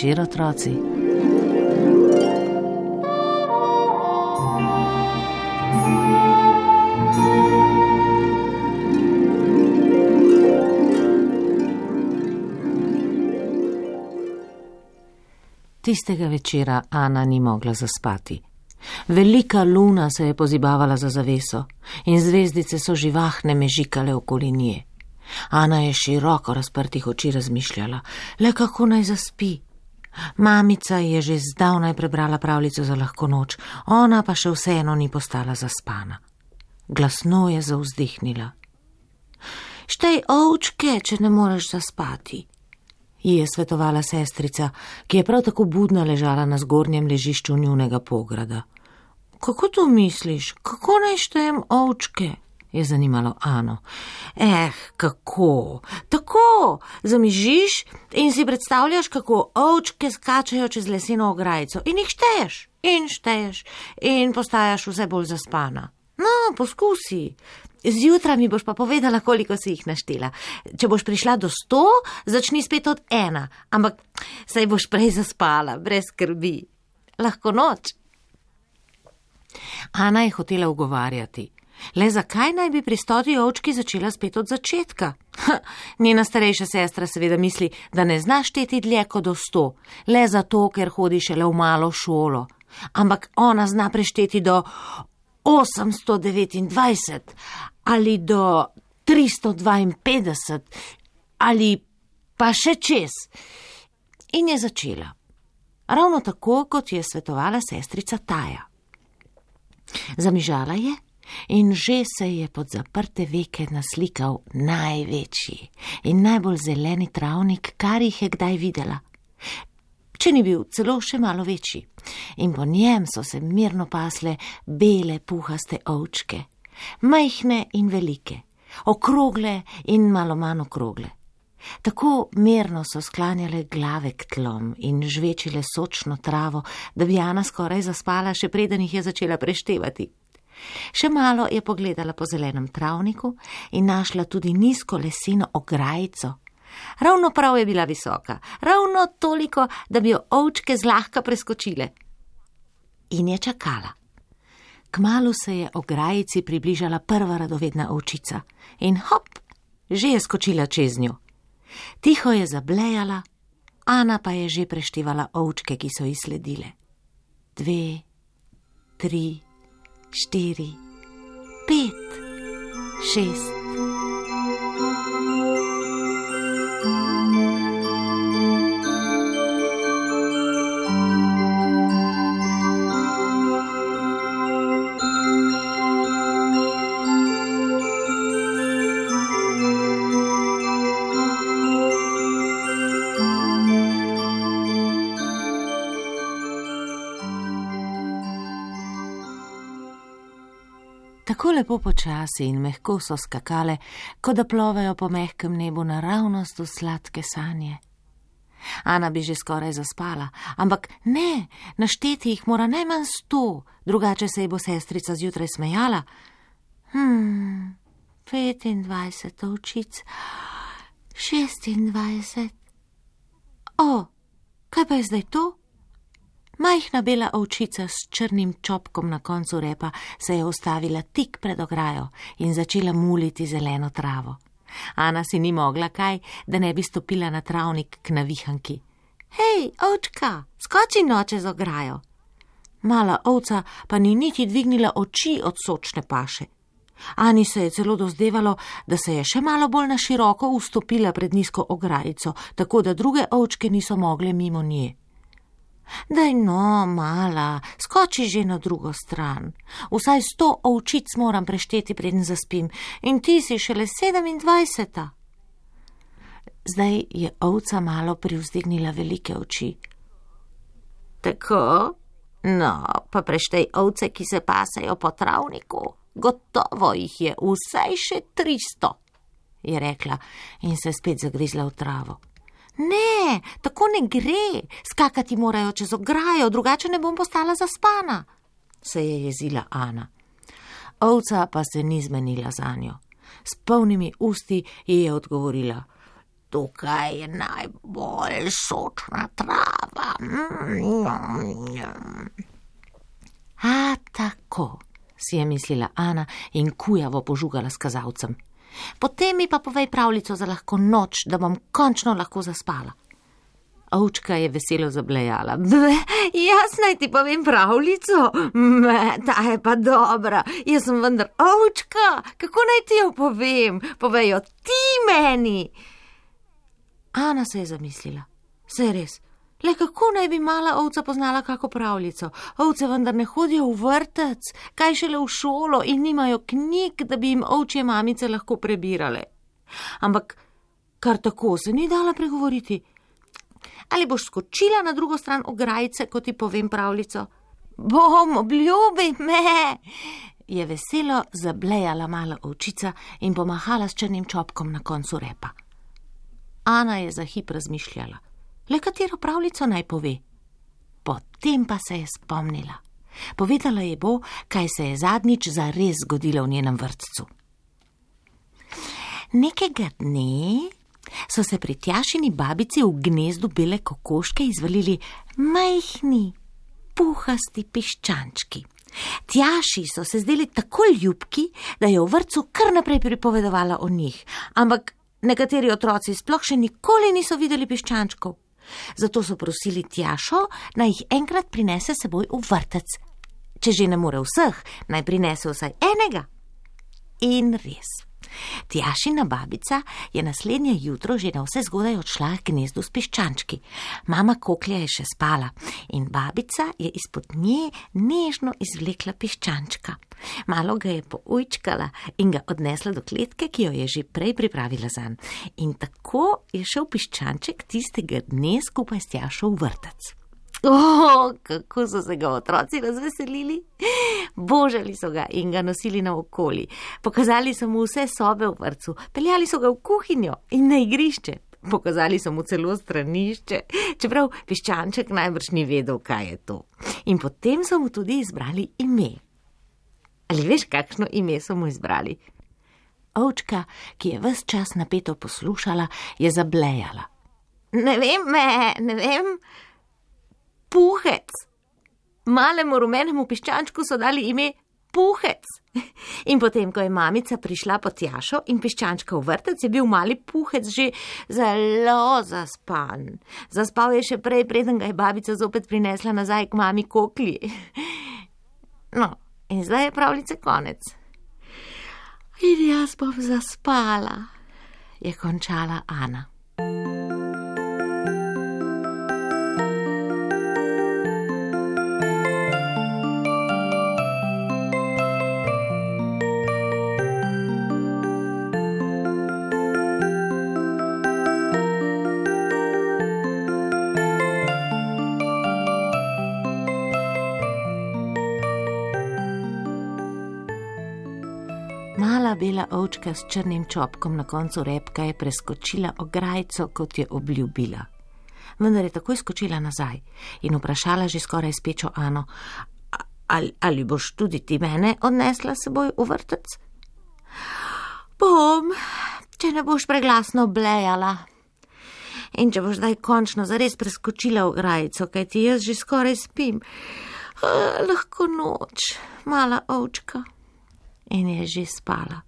večer, otroci. Tistega večera Ana ni mogla zaspati. Velika luna se je pozibavala za zaveso in zvezdice so živahne mežikale okoli nje. Ana je široko razprtih oči razmišljala, le kako naj zaspi. Mamica je že zdavnaj prebrala pravljico za lahko noč, ona pa še vseeno ni postala zaspana. Glasno je zavzdihnila. Štej ovčke, če ne moreš zaspati, ji je svetovala sestrica, ki je prav tako budna ležala na zgornjem ležišču njunega pograda. Kako to misliš? Kako naj štejem ovčke? Je zanimalo Ano. Kako? Tako, zamižiš in si predstavljaš, kako ovčke skačejo čez leseno ograjico in jih šteješ in postajaš vse bolj zaspana. No, poskusi. Zjutraj mi boš pa povedala, koliko si jih naštela. Če boš prišla do 100, začni spet od 1, ampak saj boš prej zaspala, brez skrbi. Lahko noč. Ana je hotela ugovarjati. Le zakaj naj bi pri 100 ovčki začela spet od začetka? Njena starejša sestra seveda misli, da ne zna šteti dlje kot do 100, le zato, ker hodi šele v malo šolo. Ampak ona zna prešteti do 829 ali do 352 ali pa še čez. In je začela. Ravno tako, kot je svetovala sestrica Taja. Zamižala je in že se je pod zaprte veke naslikal največji in najbolj zeleni travnik, kar jih je kdaj videla. Če ni bil celo še malo večji. In po njem so se mirno pasle bele puhaste ovčke, majhne in velike, okrogle in malo manj okrogle. Tako mirno so sklanjale glave k tlom in žvečile sočno travo, da bi Ana skoraj zaspala, še preden jih je začela preštevati. Še malo je pogledala po zelenem travniku in našla tudi nizko leseno ograjico. Ravno prav je bila visoka, ravno toliko, da bi jo ovčke zlahka preskočile. In je čakala. Kmalu se je ograjici približala prva radovedna ovčica in hop, že je skočila čez njo. Tiho je zablejala, Ana pa je že preštevala ovčke, ki so ji sledile. 2, 3, 4, 5, 6. Tako lepo počasi in mehko so skakale, kot da plovejo po mehkem nebu naravnost v sladke sanje. Ana bi že skoraj zaspala, ampak ne, našteti jih mora najmanj 100, drugače se ji bo sestrica zjutraj smejala. 25 ovčic, 26. Kaj pa je zdaj to? Majhna bela ovčica s črnim čopkom na koncu repa se je ustavila tik pred ograjo in začela muliti zeleno travo. Ana si ni mogla kaj, da ne bi stopila na travnik k navihanki. Hej, ovčka, skoči no čez ograjo. Mala ovca pa ni niti dvignila oči od sočne paše. Ani se je celo dozdevalo, da se je še malo bolj na široko vstopila pred nizko ograjico, tako da druge ovčke niso mogle mimo nje. Daj no, mala, skoči že na drugo stran. Vsaj 100 ovčic moram prešteti, preden zaspim, in ti si šele 27. Zdaj je ovca malo privzdignila velike oči. Tako? No, pa preštej ovce, ki se pasejo po travniku. Gotovo jih je vsaj še 300, je rekla in se spet zagrizla v travo. Ne, tako ne gre, skakati morajo čez ograjo, drugače ne bom postala zaspana, se je jezila Ana. Ovca pa se ni zmenila zanjo. S polnimi usti ji je odgovorila. tukaj je najbolj sočna trava. A tako, si je mislila Ana in kujavo požugala s kazalcem. Potem mi pa povej pravljico za lahko noč, da bom končno lahko zaspala. Ovčka je veselo zablejala. Jaz naj ti povem pravljico? Ta je pa dobra. Jaz sem vendar ovčka. Kako naj ti jo povem? Povej jo ti meni. Ana se je zamislila. Saj res. Le kako naj bi mala ovca poznala kako pravljico? Ovce vendar ne hodijo v vrtec, kaj šele v šolo in nimajo knjig, da bi jim ovčje mamice lahko prebirale. Ampak kar tako se ni dala pregovoriti. Ali boš skočila na drugo stran ograjice, ko ti povem pravljico? Bom, obljubi me, je veselo zablejala mala ovčica in pomahala s črnim čopkom na koncu repa. Ana je za hip razmišljala. Le katero pravljico naj pove? Potem pa se je spomnila. Povedala je bo, kaj se je zadnjič zares zgodilo v njenem vrtcu. Nekega dne so se pri Tjašini babici v gnezdu bele kokoške izvalili majhni, puhasti piščančki. Tjaši so se zdeli tako ljubki, da je v vrtcu kar naprej pripovedovala o njih, ampak nekateri otroci sploh še nikoli niso videli piščančkov. Zato so prosili Tjašo, naj jih enkrat prinese seboj v vrtec. Če že ne more vseh, naj prinese vsaj enega. In res. Tjašina babica je naslednje jutro že na vse zgodaj odšla k gnezdu s piščančki. Mama koklja je še spala in babica je izpod nje nežno izvlekla piščančka. Malo ga je poujčkala in ga odnesla do kletke, ki jo je že prej pripravila zanj. In tako je šel piščanček tistega dne skupaj s Tjašo v vrtec. Kako so se ga otroci razveselili. Božali so ga in ga nosili naokoli. Pokazali so mu vse sobe v vrtcu, peljali so ga v kuhinjo in na igrišče. Pokazali so mu celo stranišče, čeprav piščanček najbrž ni vedel, kaj je to. In potem so mu tudi izbrali ime. Ali veš, kakšno ime so mu izbrali? Ovčka, ki je ves čas napeto poslušala, je zablejala. Ne vem. Puhec. Malemu rumenemu piščančku so dali ime Puhec. In potem, ko je mamica prišla po Tjašo in piščančka v vrtec, je bil mali Puhec že zelo zaspan. Zaspal je še prej, preden ga je babica zopet prinesla nazaj k mami koklji. No, in zdaj je pravljice konec. In jaz bom zaspala, je končala Ana. Mala bela ovčka s črnim čopkom na koncu repka je preskočila ograjico, kot je obljubila. Vendar je takoj skočila nazaj in vprašala že skoraj spečo Ano, ali boš tudi ti mene odnesla seboj v vrtec? Bom, če ne boš preglasno blejala. In če boš zdaj končno zares preskočila ograjico, kajti jaz že skoraj spim. Lahko noč, mala ovčka. In je že spala.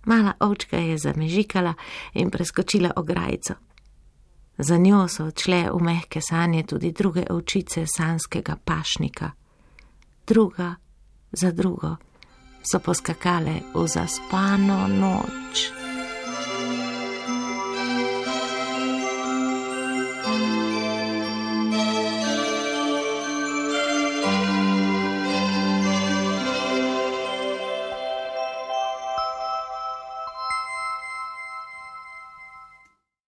Mala ovčka je zamežikala in preskočila ograjico. Za njo so odšle v mehke sanje tudi druge ovčice sanskega pašnika. Druga za drugo so poskakale v zaspano noč.